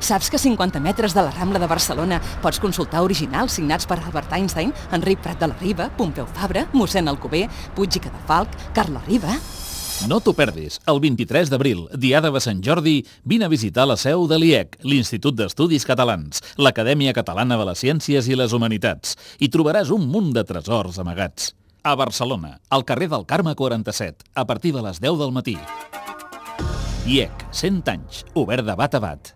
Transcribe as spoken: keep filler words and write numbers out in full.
Saps que a cinquanta metres de la Rambla de Barcelona pots consultar originals signats per Albert Einstein, Enric Prat de la Riba, Pompeu Fabra, mossèn Alcover, Puig i Cadafalch, Carla Riba... No t'ho perdis. El vint-i-tres d'abril, diada de Sant Jordi, vine a visitar la seu de l'I E C, l'Institut d'Estudis Catalans, l'Acadèmia Catalana de les Ciències i les Humanitats. Hi trobaràs un munt de tresors amagats. A Barcelona, al carrer del Carme quaranta-set, a partir de les deu del matí. I E C, cent anys, obert de bat a bat.